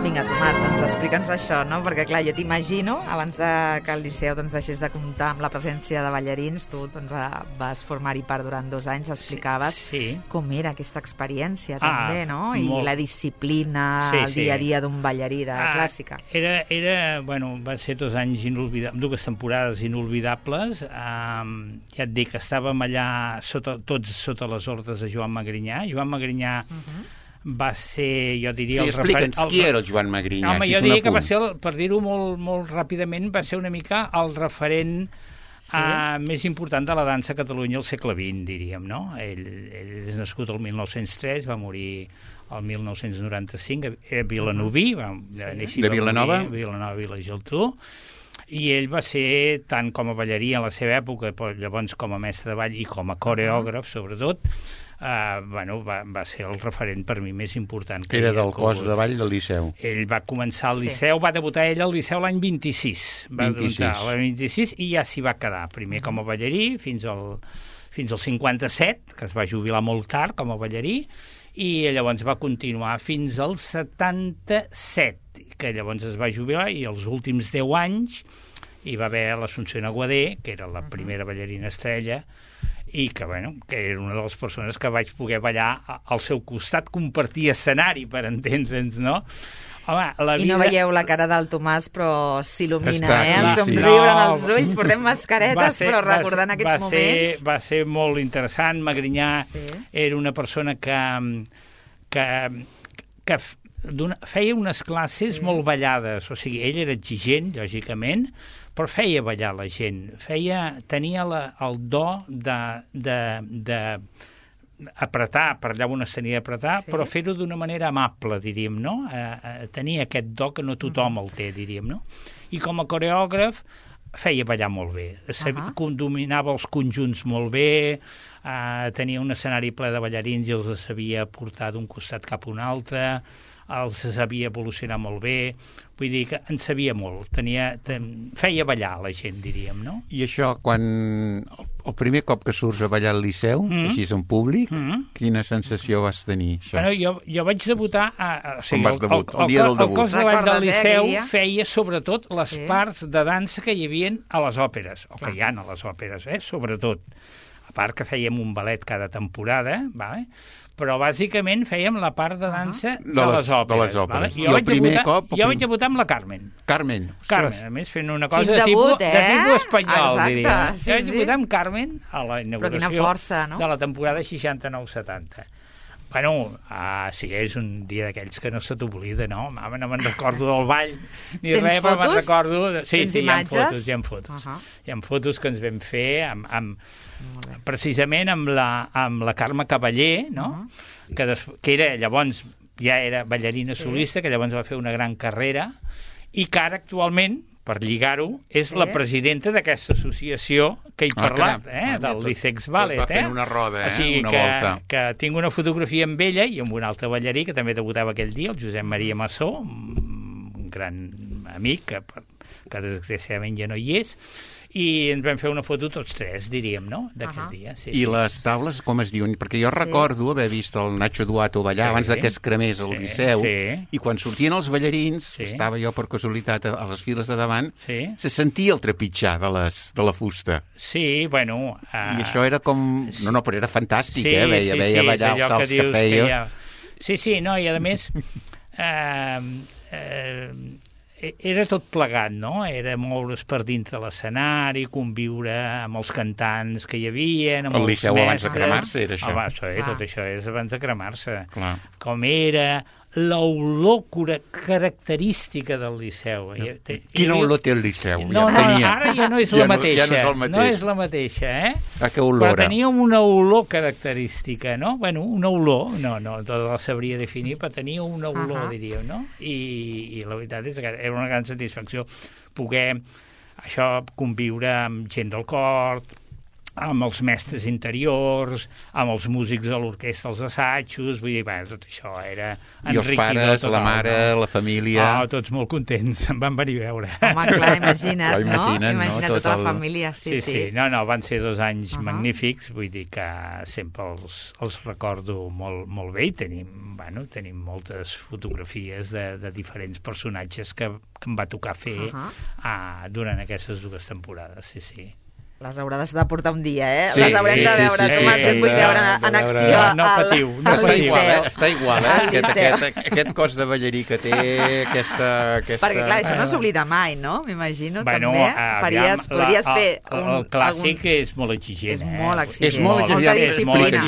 Vinga, Tomàs, doncs explica'ns això, no? Perquè, clar, jo t'imagino, abans que el Liceu doncs, deixés de comptar amb la presència de ballarins, tu doncs, vas formar-hi part durant 2 anys, explicaves com era aquesta experiència, també, no? I la disciplina, el dia a dia d'un ballarí de clàssica. Va ser 2 anys inolvidables, 2 temporades inolvidables. Ja et dic, estàvem allà tots sota les ordres de Joan Magrinyà. Joan Magrinyà va ser, jo diria... Sí, explica'ns qui era el Joan Magrinyà. Home, jo diria que va ser, per dir-ho molt ràpidament, va ser una mica el referent més important de la dansa a Catalunya al segle XX, diríem, no? Ell és nascut el 1903, va morir el 1995 a Vilanoví, de Vilanova? Vilanova, Vila Geltrú, i ell va ser, tant com a ballarí en la seva època, però llavors com a mestre de ball i com a coreògraf, sobretot, va ser el referent per mi més important. Era del cos de ball del Liceu. Ell va començar al Liceu, va debutar ell al Liceu l'any 26. Va debutar l'any 26 i ja s'hi va quedar. Primer com a ballarí fins al 57, que es va jubilar molt tard com a ballarí, i llavors va continuar fins al 77, que llavors es va jubilar, i els últims 10 anys hi va haver l'Assumpció Aguadé, que era la primera ballarina estrella, i que era una de les persones que vaig poder ballar al seu costat, compartir escenari, per entendre'ns, no? Home, I no veieu la cara del Tomàs, però s'il·lumina, el somriure en els ulls, portem mascaretes, però recordant aquests moments... Va ser molt interessant. Magrinyà era una persona que feia unes classes molt ballades, o sigui, ell era exigent, lògicament, però feia ballar la gent, tenia el do de apretar, per allà on es tenia d'apretar, però fer-ho d'una manera amable, diríem, no? Tenia aquest do que no tothom el té, diríem, no? I com a coreògraf feia ballar molt bé. Dominava els conjunts molt bé, tenia un escenari ple de ballarins i els sabia portar d'un costat cap a un altre, els sabia evolucionar molt bé, vull dir que en sabia molt, feia ballar la gent, diríem, no? I això, quan el primer cop que surts a ballar al Liceu, així en públic, quina sensació vas tenir? Bueno, jo vaig debutar... Com vas debutar? El dia del debut. El cos de ball del Liceu feia sobretot les parts de dansa que hi havia a les òperes, o que hi ha a les òperes, sobretot. A part que fèiem un ballet cada temporada, vale? Però bàsicament fèiem la part de dansa de les òperes. Vale? I el primer cop... Jo vaig debutar amb la Carmen. Carmen, a més, fent una cosa de tipus espanyol, diria. Jo vaig debutar amb Carmen a la inauguració de la temporada 69-70. Bueno, sí, és un dia d'aquells que no se t'oblida, no? Mama, no me'n recordo del ball ni res, però me'n recordo... Sí, hi ha fotos. Hi ha fotos que ens vam fer precisament amb la Carme Cavaller, no? Que era llavors, ja era ballarina solista, que llavors va fer una gran carrera, i que ara actualment, per lligar-ho, és la presidenta d'aquesta associació que he parlat, del Licex Ballet. Tot va fent una roda, una volta. Que tinc una fotografia amb ella i amb un altre ballarí que també debutava aquell dia, el Josep Maria Massó, un gran amic que desgraciadament ja no hi és, i ens vam fer una foto tots tres, diríem, no?, d'aquell dia. I les taules, com es diuen? Perquè jo recordo haver vist el Nacho Duato ballar abans que es cremés al Liceu, i quan sortien els ballarins, estava jo per casualitat a les files de davant, se sentia el trepitjar de la fusta. Sí, bueno... I això era com... No, però era fantàstic, veia ballar els salts que feia. Sí, no, i a més... era tot plegat, no? Era moure's per dintre l'escenari, conviure amb els cantants que hi havia, amb els mestres... El Liceu abans de cremar-se era això. Tot això és abans de cremar-se. Com era l'olor característica del Liceu. Quina olor té el Liceu? No, ara ja no és la mateixa. No és la mateixa, que olora? Però tenia una olor característica, no? Bueno, una olor, no la sabria definir, però tenia una olor, diríem, no? I la veritat és que era una gran satisfacció poder conviure amb gent del cor, amb els mestres interiors, amb els músics de l'orquestra, els assajos, vull dir, tot això era enriquidor. I els pares, la mare, la família... Tots molt contents, em van venir a veure. Home, clar, imagina't, no? Imagina't tota la família, sí. No, van ser 2 anys magnífics, vull dir que sempre els recordo molt bé i tenim moltes fotografies de diferents personatges que em va tocar fer durant aquestes 2 temporades, sí. Les hauràs de portar un dia, Les haurem de veure, Tomàs, et vull veure en acció al Liceu. Està igual, aquest cos de ballarí que té, aquesta... Perquè, clar, això no s'oblida mai, no? M'imagino, també. Podries fer... El clàssic és molt exigent, És molt exigent. És molta disciplina.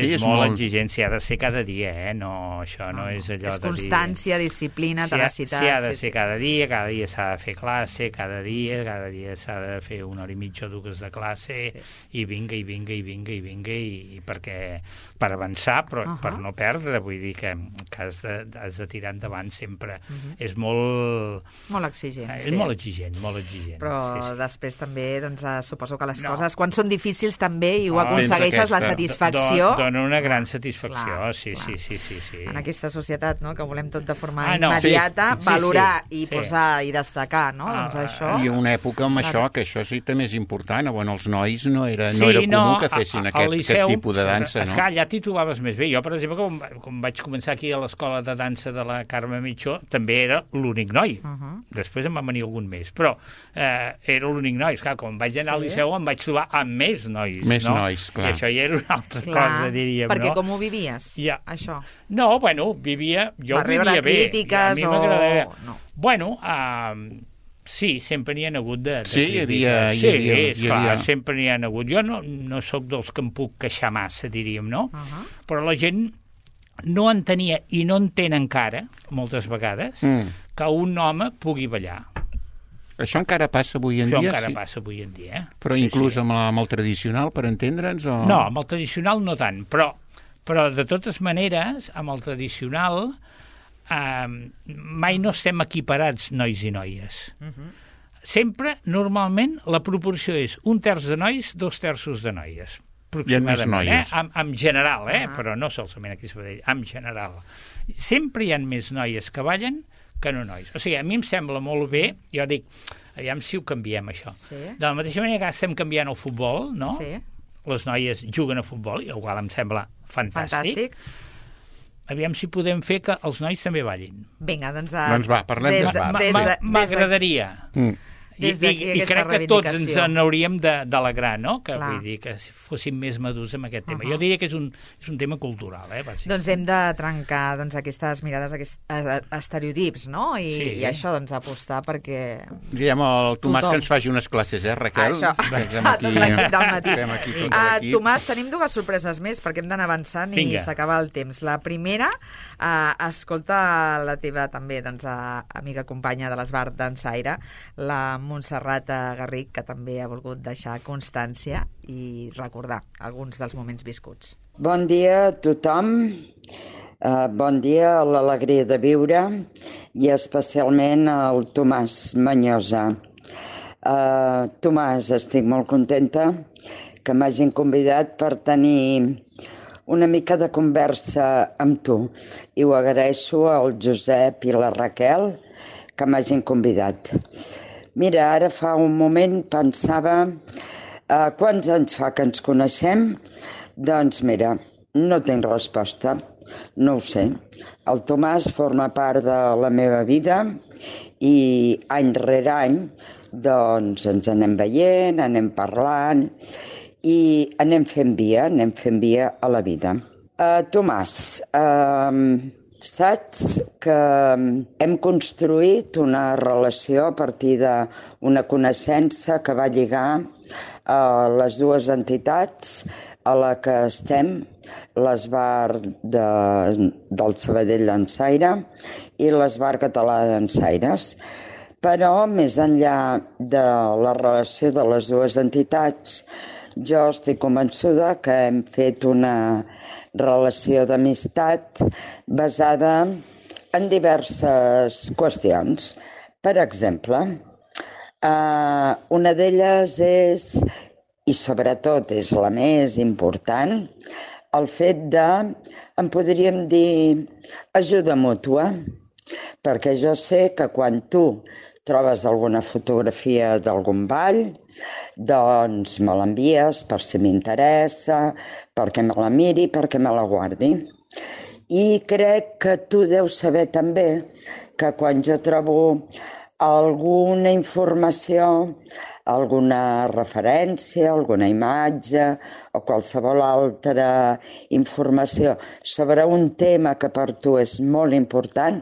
És molt exigent, s'hi ha de ser cada dia, no? Això no és allò de dir... És constància, disciplina, tenacitat... S'hi ha de ser cada dia s'ha de fer classe, cada dia s'ha de fer una hora i mitja o 2 de classe, i vinga, i perquè per avançar, però per no perdre, vull dir que has de tirar endavant sempre. És molt exigent. És molt exigent. Però després també, doncs, suposo que les coses, quan són difícils també, i ho aconsegueixes, la satisfacció... Dona una gran satisfacció, sí. En aquesta societat, no?, que volem tot de forma immediata, valorar i posar i destacar, no?, doncs això... I una època amb això, que això sí també és important, bueno, els nois no era comú que fessin aquest tipus de dansa, no? Esclar, allà t'hi trobaves més bé. Jo, per exemple, quan vaig començar aquí a l'escola de dansa de la Carme Mitjó, també era l'únic noi. Després em va venir algun més, però era l'únic noi. Esclar, quan vaig anar al Liceu em vaig trobar amb més nois, no? Més nois, clar. I això ja era una altra cosa, diríem, no? Perquè com ho vivies, això? No, bueno, jo ho vivia bé. Va rebre crítiques o... Bueno, sí, sempre n'hi ha hagut de crítiques. Esclar, sempre n'hi ha hagut. Jo no sóc dels que em puc queixar massa, diríem, no? Però la gent no entenia i no entén encara, moltes vegades, que un home pugui ballar. Això encara passa avui en dia? Això encara passa avui en dia. Però inclús amb el tradicional, per entendre'ns? No, amb el tradicional no tant, però de totes maneres, amb el tradicional... mai no estem equiparats, nois i noies. sempre, normalment, la proporció és 1/3 de nois, 2/3 de noies. Hi ha més noies. En general, però no solament aquí a Sabadell, en general. Sempre hi ha més noies que ballen que no nois. O sigui, a mi em sembla molt bé, jo dic, aviam si ho canviem, això. Sí. De la mateixa manera que estem canviant el futbol, no? Sí. Les noies juguen a futbol, i igual em sembla fantàstic. Aviam si podem fer que els nois també ballin. Vinga, doncs... Doncs va, parlem d'esbart. M'agradaria. I crec que tots ens n'hauríem d'alegrar, no? Que vull dir que fóssim més madurs amb aquest tema. Jo diria que és un tema cultural, bàsicament. Doncs hem de trencar aquestes mirades, aquests estereotips, no? I això, doncs, apostar perquè... Diem al Tomàs que ens faci unes classes, Raquel? Això, tot l'equip del matí. Tomàs, tenim dues sorpreses més perquè hem d'anar avançant i s'acaba el temps. La primera, escolta la teva també, doncs, amiga companya de l'Esbart Dansaire, la Montserrat Garric, que també ha volgut deixar constància i recordar alguns dels moments viscuts. Bon dia a tothom, bon dia a l'alegria de viure i especialment al Tomàs Manyosa. Tomàs, estic molt contenta que m'hagin convidat per tenir una mica de conversa amb tu i ho agraeixo al Josep i la Raquel que m'hagin convidat. Mira, ara fa un moment pensava quants anys fa que ens coneixem? Doncs mira, no tinc resposta, no ho sé. El Tomàs forma part de la meva vida i any rere any doncs ens anem veient, anem parlant i anem fent via a la vida. Tomàs, saps que hem construït una relació a partir d'una coneixença que va lligar les dues entitats a la que estem, l'Esbart del Sabadell Dansaire i l'Esbart Català de Dansaires. Però, més enllà de la relació de les dues entitats, jo estic convençuda que hem fet una relació d'amistat basada en diverses qüestions. Per exemple, una d'elles és, i sobretot és la més important, el fet de, en podríem dir, ajuda mútua, perquè jo sé que quan tu trobes alguna fotografia d'algun ball, doncs me l'envies per si m'interessa, perquè me la miri, perquè me la guardi. I crec que tu deus saber també que quan jo trobo alguna informació, alguna referència, alguna imatge o qualsevol altra informació sobre un tema que per tu és molt important,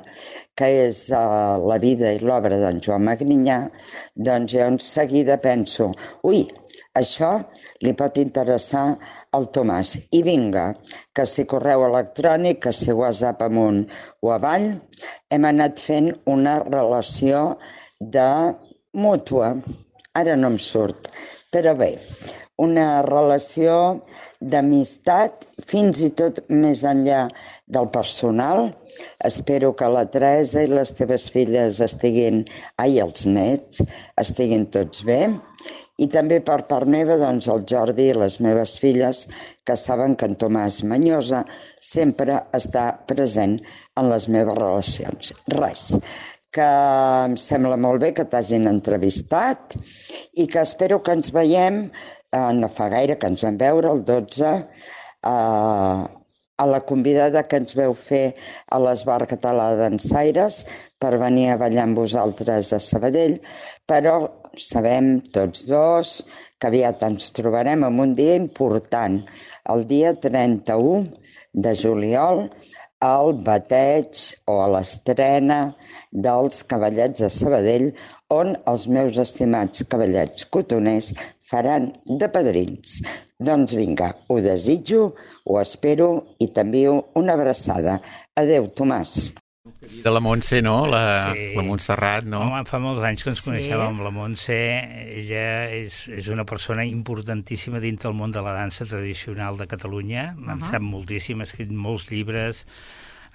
que és la vida i l'obra d'en Joan Magrinyà, doncs jo en seguida penso, això li pot interessar al Tomàs. I vinga, que si correu electrònic, que si WhatsApp amunt o avall, hem anat fent una relació de mútua. Ara no em surt, però bé, una relació d'amistat, fins i tot més enllà del personal. Espero que la Teresa i les teves filles els nets, estiguin tots bé. I també per part meva, doncs, el Jordi i les meves filles, que saben que en Tomàs Manyosa sempre està present en les meves relacions. Res, que em sembla molt bé que t'hagin entrevistat i que espero que ens veiem, no fa gaire que ens vam veure, el 12, a la convidada que ens veu fer a l'Esbart Català de Dansaires per venir a ballar amb vosaltres a Sabadell, però sabem tots dos que aviat ens trobarem en un dia important, el dia 31 de juliol, al bateig o a l'estrena dels Cavallets de Sabadell, on els meus estimats cavallets cotoners faran de padrins. Doncs vinga, ho desitjo, ho espero i t'envio una abraçada. Adéu, Tomàs. De la Montse, no? La Montserrat, no? Home, fa molts anys que ens coneixem amb la Montse. Ella és una persona importantíssima dintre del món de la dansa tradicional de Catalunya. En sap moltíssim, ha escrit molts llibres,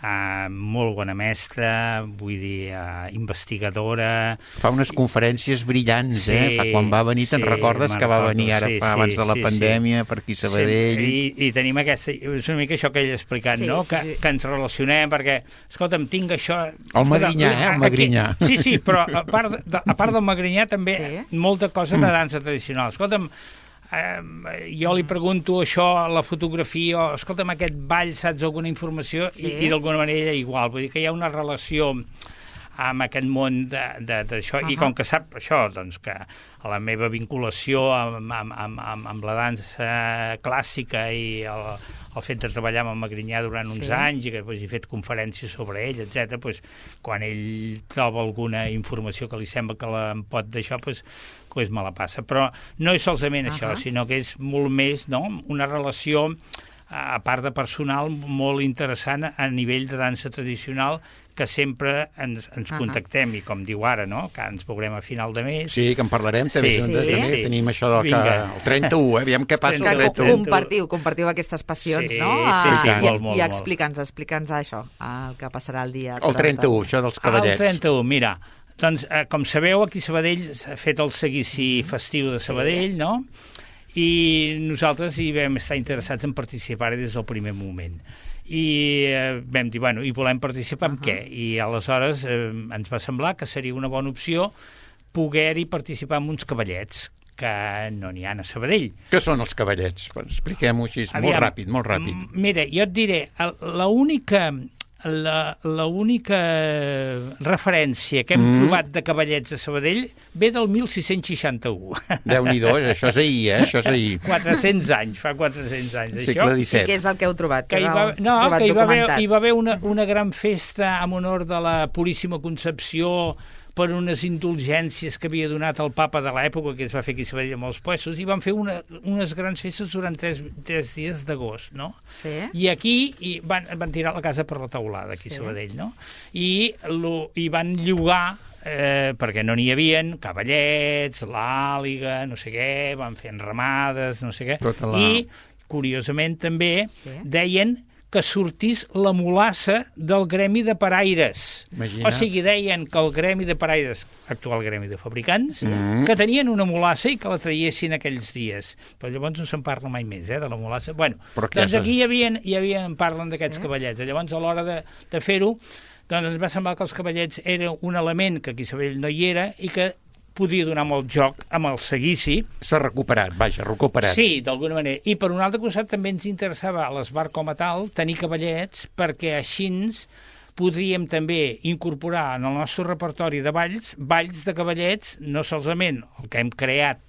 molt bona mestra, vull dir, investigadora. Fa unes conferències brillants, Fa quan va venir, te'n recordes que va venir ara abans de la pandèmia per aquí a Sabadell? I tenim aquesta... És una mica això que ell ha explicat, no? Que ens relacionem, perquè, escolta'm, tinc això... El Magrinyà, el Magrinyà. Sí, però a part del Magrinyà també molta cosa de dansa tradicional. Escolta'm, jo li pregunto això a la fotografia, escolta'm, aquest ball, saps alguna informació? I d'alguna manera igual, vull dir que hi ha una relació amb aquest món d'això, i com que sap això, doncs que la meva vinculació amb la dansa clàssica i el fet de treballar amb el Magrinyà durant uns anys i que he fet conferències sobre ell, etc. Quan ell troba alguna informació que li sembla que em pot d'això, me la passa. Però no és solament això, sinó que és molt més, no?, una relació, a part de personal, molt interessant a nivell de dansa tradicional, que sempre ens contactem, i com diu ara, no?, que ens veurem a final de mes. Sí, que en parlarem també. Tenim això del el 31, aviam què passa el 31. Compartiu aquestes passions, no? Molt. I explica'ns això, el que passarà el dia... El 31, això dels cavallets. El 31, mira, doncs, com sabeu, aquí a Sabadell s'ha fet el seguici festiu de Sabadell, no?, i nosaltres hi vam estar interessats en participar des del primer moment. I vam dir, bueno, i volem participar en què? I aleshores ens va semblar que seria una bona opció poder-hi participar amb uns cavallets, que no n'hi ha a Sabadell. Què són els cavallets? Expliquem-ho així, molt ràpid. Mira, jo et diré, l'única referència que hem trobat de cavallets a Sabadell ve del 1661. Déu-n'hi-do, això és ahir, això és ahir. 400 anys, fa 400 anys. Segle XVII. I què és el que heu trobat? Que hi va haver una gran festa en honor de la Puríssima Concepció per unes indulgències que havia donat el papa de l'època, que es va fer aquí a Sabadell amb els puestos, i van fer unes grans festes durant 3 dies d'agost, no? Sí. I aquí van tirar la casa per la teulada, aquí a Sabadell, no? I van llogar, perquè no n'hi havien, cavallets, l'àliga, no sé què, van fer enramades, no sé què, i, curiosament, també deien que sortís la mulassa del gremi de paraires. Imagina. O sigui, deien que el gremi de paraires, actual gremi de fabricants, que tenien una mulassa i que la traiessin aquells dies. Però llavors no se'n parla mai més, de la mulassa. Bueno, doncs aquí parlen d'aquests cavallets. Llavors, a l'hora de fer-ho, doncs ens va semblar que els cavallets era un element que aquí a Sabadell no hi era i que podia donar molt joc amb el seguici. S'ha recuperat. Sí, d'alguna manera. I per un altre costat també ens interessava a l'Esbar com a tal tenir cavallets, perquè així podríem també incorporar en el nostre repertori de balls de cavallets, no solament el que hem creat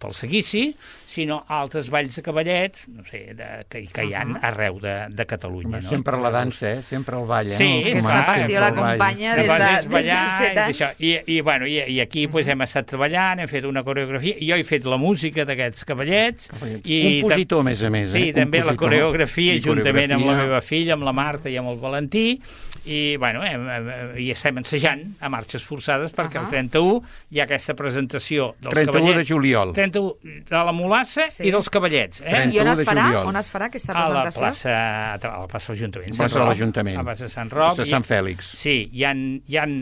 pel seguici, sinó altres balls de cavallets, no sé, que hi ha arreu de Catalunya. No? Sempre la dansa, sempre el ball. Sí, aquesta passió l'acompanya des de 17 anys. I aquí hem estat treballant, hem fet una coreografia, jo he fet la música d'aquests cavallets. Compositor, a més a més. Sí, també la coreografia, juntament amb la meva filla, amb la Marta i amb el Valentí, i estem ensajant a marxes forçades perquè el 31 hi ha aquesta presentació dels cavallets. 31 de juliol. De la mulassa i dels cavallets. I on es farà aquesta presentació? A la plaça de l'Ajuntament. A la plaça de Sant Roc. A Sant Fèlix. Sí, hi han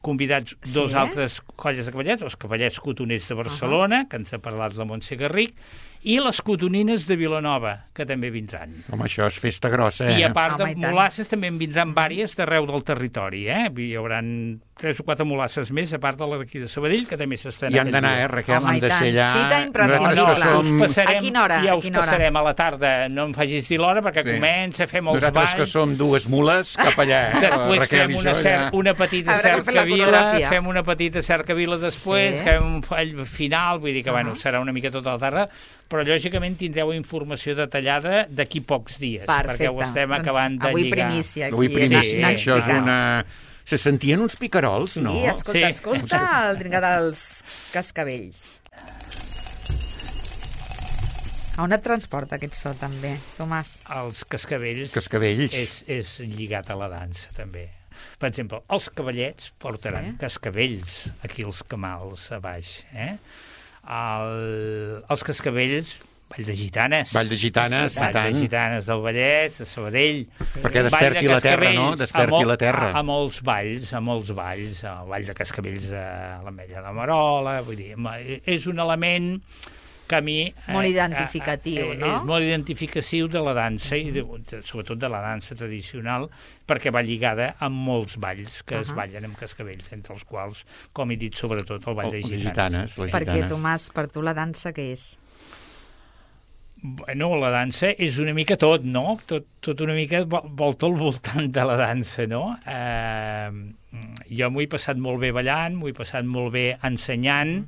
convidats dos altres colles de cavallets, els cavallets cotoners de Barcelona, que ens ha parlat la Montse Garric, i les cotonines de Vilanova, que també vindran. Home, això és festa grossa, I a part de mulasses també en vindran vàries d'arreu del territori, Hi haurà 3 o 4 mulasses més, a part de d'aquí de Sabadell, que també s'estan... I han d'anar, Raquel, han de ser allà... Cita imprescindible. A quina hora? Ja us passarem a la tarda, no em facis dir l'hora, perquè comença, fem els balls... Nosaltres que som 2 mules, cap allà, Després fem una petita cercavila, fem una petita cercavila després, fem un fall final, vull dir que, serà una mica tota la tarda, però lògicament tindreu informació detallada d'aquí pocs dies, perquè ho estem acabant de lligar. Avui primícia. Avui primícia, això és una... Se sentien uns picarols, no? Sí, escolta el dringar dels cascavells. A on et transporta aquest so, també, Tomàs? Els cascavells. És lligat a la dansa, també. Per exemple, els cavallets portaran cascavells aquí als camals a baix. Els cascavells Vall de Gitanes. Vall de Gitanes, Vall de Gitanes del Vallès, de Sabadell. Perquè desperti la terra, no? Desperti la terra. A molts valls, el Vall de Cascavells a l'Ametlla de Marola, vull dir, és un element que a mi... Molt identificatiu, no? És molt identificatiu de la dansa, i sobretot de la dansa tradicional, perquè va lligada amb molts balls que es ballen amb cascavells, entre els quals, com he dit, sobretot el Vall de Gitanes. Perquè, Tomàs, per tu la dansa què és? Bueno, la dansa és una mica tot, no? Tot una mica volta al voltant de la dansa, no? Jo m'ho he passat molt bé ballant, m'ho he passat molt bé ensenyant,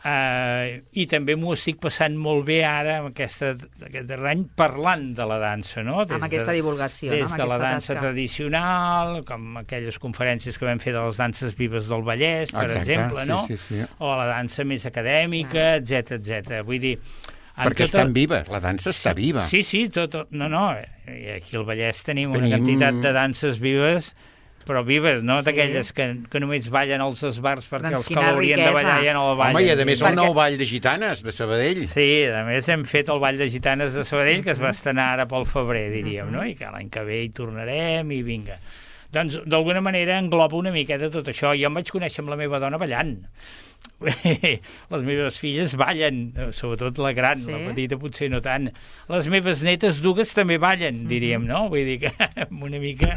i també m'ho estic passant molt bé ara, aquest darrer any, parlant de la dansa, no? Amb aquesta divulgació, no? Des de la dansa tradicional, com aquelles conferències que vam fer de les danses vives del Vallès, per exemple, no? O la dansa més acadèmica, etc. Vull dir... Perquè estan vives, la dansa està viva. Sí, no, aquí al Vallès tenim una quantitat de danses vives, però vives, no d'aquelles que només ballen als esbars perquè els que l'haurien de ballar ja no la ballen. Home, i a més el nou Ball de Gitanes de Sabadell. Sí, a més hem fet el Ball de Gitanes de Sabadell, que es va estrenar ara pel febrer, diríem, no? I que l'any que ve hi tornarem i vinga. Doncs, d'alguna manera, engloba una miqueta tot això. Jo em vaig conèixer amb la meva dona ballant. Les meves filles ballen, sobretot la gran, la petita potser no tant. Les meves netes dues també ballen, diríem, no? Vull dir que una mica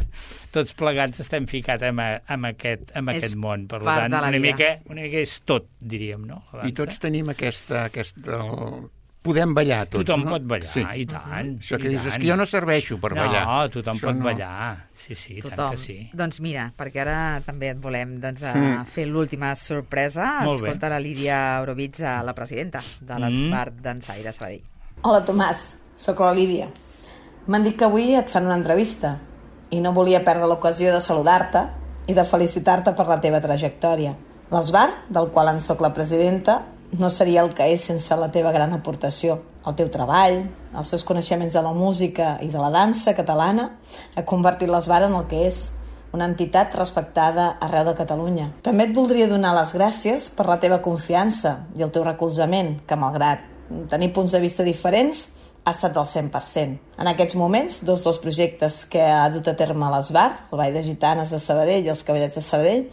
tots plegats estem ficats amb aquest món. Per tant, una mica és tot, diríem, no? I tots tenim aquesta podem ballar tots, tothom pot ballar, i tant. Això que dius, és que jo no serveixo per ballar. No, tothom pot ballar. Sí, tant que sí. Doncs mira, perquè ara també et volem fer l'última sorpresa. Escolta la Lídia Eurovitza, la presidenta de l'Esbart Dansaire Sabadell. Hola, Tomàs. Soc la Lídia. M'han dit que avui et fan una entrevista i no volia perdre l'ocasió de saludar-te i de felicitar-te per la teva trajectòria. L'Esbart, del qual en soc la presidenta, no seria el que és sense la teva gran aportació. El teu treball, els seus coneixements de la música i de la dansa catalana ha convertit l'Esbart en el que és, una entitat respectada arreu de Catalunya. També et voldria donar les gràcies per la teva confiança i el teu recolzament, que malgrat tenir punts de vista diferents, ha estat del 100%. En aquests moments, dos dels projectes que ha dut a terme l'Esbart, el Ball de Gitanes de Sabadell i els Cavallets de Sabadell,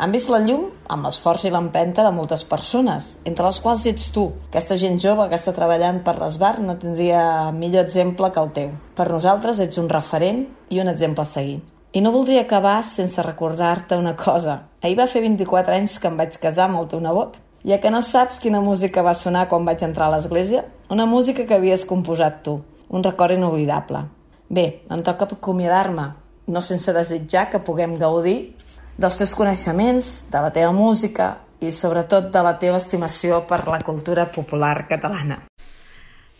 han vist la llum amb l'esforç i l'empenta de moltes persones, entre les quals ets tu. Aquesta gent jove que està treballant per l'Esbart no tindria millor exemple que el teu. Per nosaltres ets un referent i un exemple a seguir. I no voldria acabar sense recordar-te una cosa. Ahir va fer 24 anys que em vaig casar amb el teu nebot. Ja que no saps quina música va sonar quan vaig entrar a l'església, una música que havies composat tu, un record inoblidable. Bé, em toca acomiadar-me, no sense desitjar que puguem gaudir dels teus coneixements, de la teva música i sobretot de la teva estimació per la cultura popular catalana.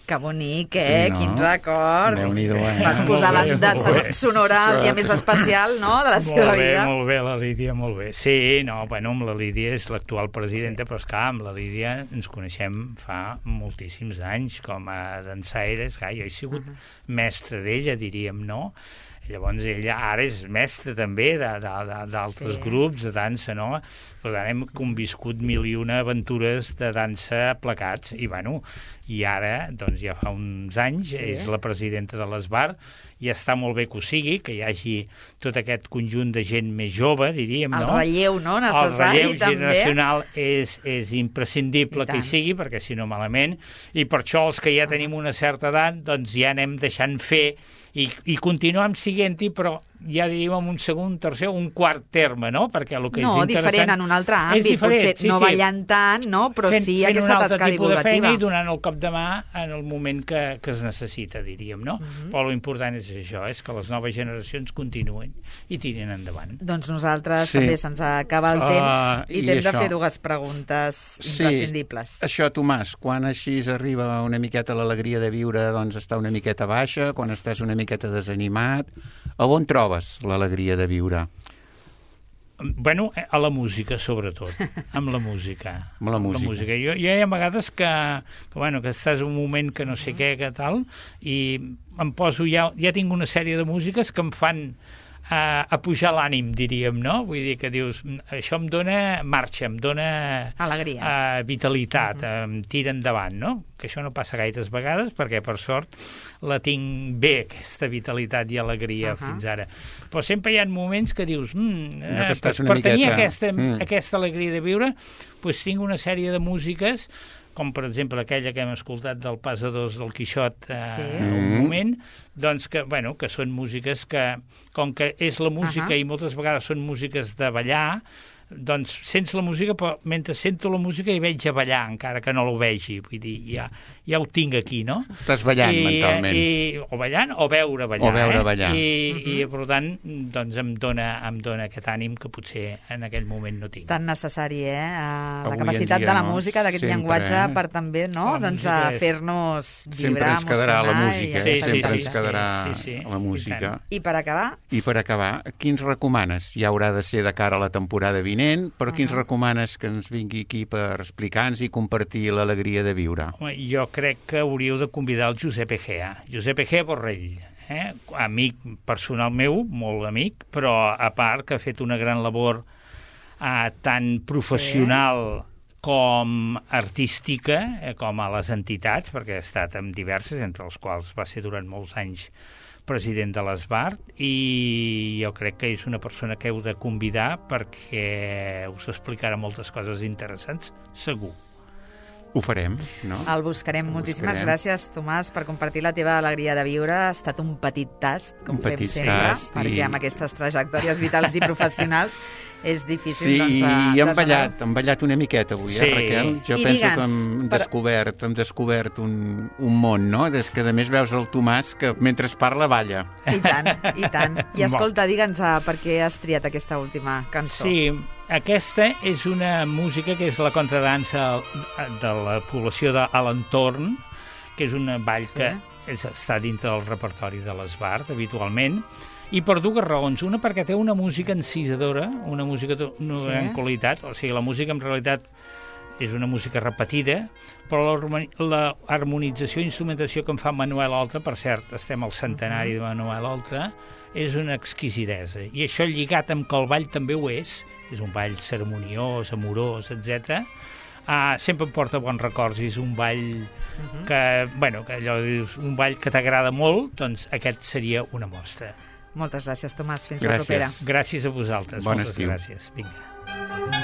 Que bonic, eh? Sí, no? Quin record. Déu-n'hi-do, Vas posar banda sonora el dia més especial, no?, de la seva vida. Molt bé, la Lídia, molt bé. Sí, amb la Lídia és l'actual presidenta, però esclar, amb la Lídia ens coneixem fa moltíssims anys com a dansaires. Jo he sigut mestre d'ella, diríem, no? Llavors ella ara és mestra també d'altres grups de dansa, no? Per tant hem conviscut 1001 aventures de dansa plegats i ara, doncs ja fa uns anys, és la presidenta de l'Esbart i està molt bé que ho sigui, que hi hagi tot aquest conjunt de gent més jove, diríem, no? El relleu, no?, necessari, també. El relleu generacional és imprescindible que hi sigui, perquè si no malament, i per això els que ja tenim una certa edat, doncs ja anem deixant fer i continuem siguent-hi, però ja diríem en un segon, tercer o un quart terme, no? Perquè el que és interessant... diferent en un altre àmbit, potser no ballant tant, no? Però sí aquesta tasca divulgativa. Fent un altre tipus de feina i donant el cop de mà en el moment que es necessita, diríem, no? Però l'important és això, és que les noves generacions continuen i tirin endavant. Doncs nosaltres també se'ns acaba el temps i t'hem de fer dues preguntes imprescindibles. Això, Tomàs, quan així arriba una miqueta l'alegria de viure, doncs està una miqueta baixa, quan estàs una miqueta desanimat, a on trobes l'alegria de viure? Bueno, a la música, sobretot. Amb la música. Amb la música. Jo hi ha vegades que estàs en un moment que no sé què, que tal, i em poso ja tinc una sèrie de músiques que em fan a pujar l'ànim, diríem, no? Vull dir que dius, això em dona marxa, em dona alegria, vitalitat, em tira endavant, no? Que això no passa gaires vegades, perquè per sort la tinc bé, aquesta vitalitat i alegria fins ara. Però sempre hi ha moments que dius, per tenir aquesta alegria de viure, doncs tinc una sèrie de músiques, com per exemple aquella que hem escoltat del Pas a Dos del Quixot un moment, doncs que són músiques que, com que és la música i moltes vegades són músiques de ballar, doncs sents la música, però mentre sento la música hi veig a ballar, encara que no l'ho vegi. Vull dir, ja ho tinc aquí, no? Estàs ballant mentalment. O ballant o veure ballar. O veure ballar. I per tant, doncs em dona aquest ànim que potser en aquell moment no tinc. Tan necessari, la capacitat de la música, d'aquest llenguatge, per també, no? Doncs fer-nos vibrar, emocionar. Sempre ens quedarà la música. I per acabar? Quins recomanes? Ja haurà de ser de cara a la temporada vinent, però quins recomanes que ens vingui aquí per explicar-nos i compartir l'alegria de viure? Jo crec que hauríeu de convidar el Josep Egea Borrell, amic personal meu, molt amic, però a part que ha fet una gran labor tant professional com artística, com a les entitats, perquè ha estat en diverses, entre els quals va ser durant molts anys president de l'Esbart, i jo crec que és una persona que heu de convidar perquè us explicarà moltes coses interessants, segur. Ho farem, no? El buscarem. Moltíssimes gràcies, Tomàs, per compartir la teva alegria de viure. Ha estat un petit tast, com fem sempre, perquè amb aquestes trajectòries vitals i professionals és difícil, doncs... Sí, i hem ballat una miqueta avui, Raquel? Jo penso que hem descobert un món, no? Des que, a més, veus el Tomàs que mentre es parla, balla. I tant. I escolta, digue'ns per què has triat aquesta última cançó. Sí, aquesta és una música que és la contradansa de la població de l'entorn, que és un ball que està dintre del repertori de l'Esbart, habitualment, i per dues raons. Una, perquè té una música encisadora, una música en qualitat, o sigui, la música en realitat és una música repetida, però l'harmonització i instrumentació que en fa Manuel Oltra, per cert, estem al centenari de Manuel Oltra, és una exquisidesa. I això lligat amb que el ball també ho és un ball ceremoniós, amorós, etc. Sempre em porta bons records, és un ball que allò és un ball que t'agrada molt, doncs aquest seria una mostra. Moltes gràcies, Tomàs. Fins la propera. Gràcies a vosaltres. Bon estiu. Moltes gràcies. Vinga.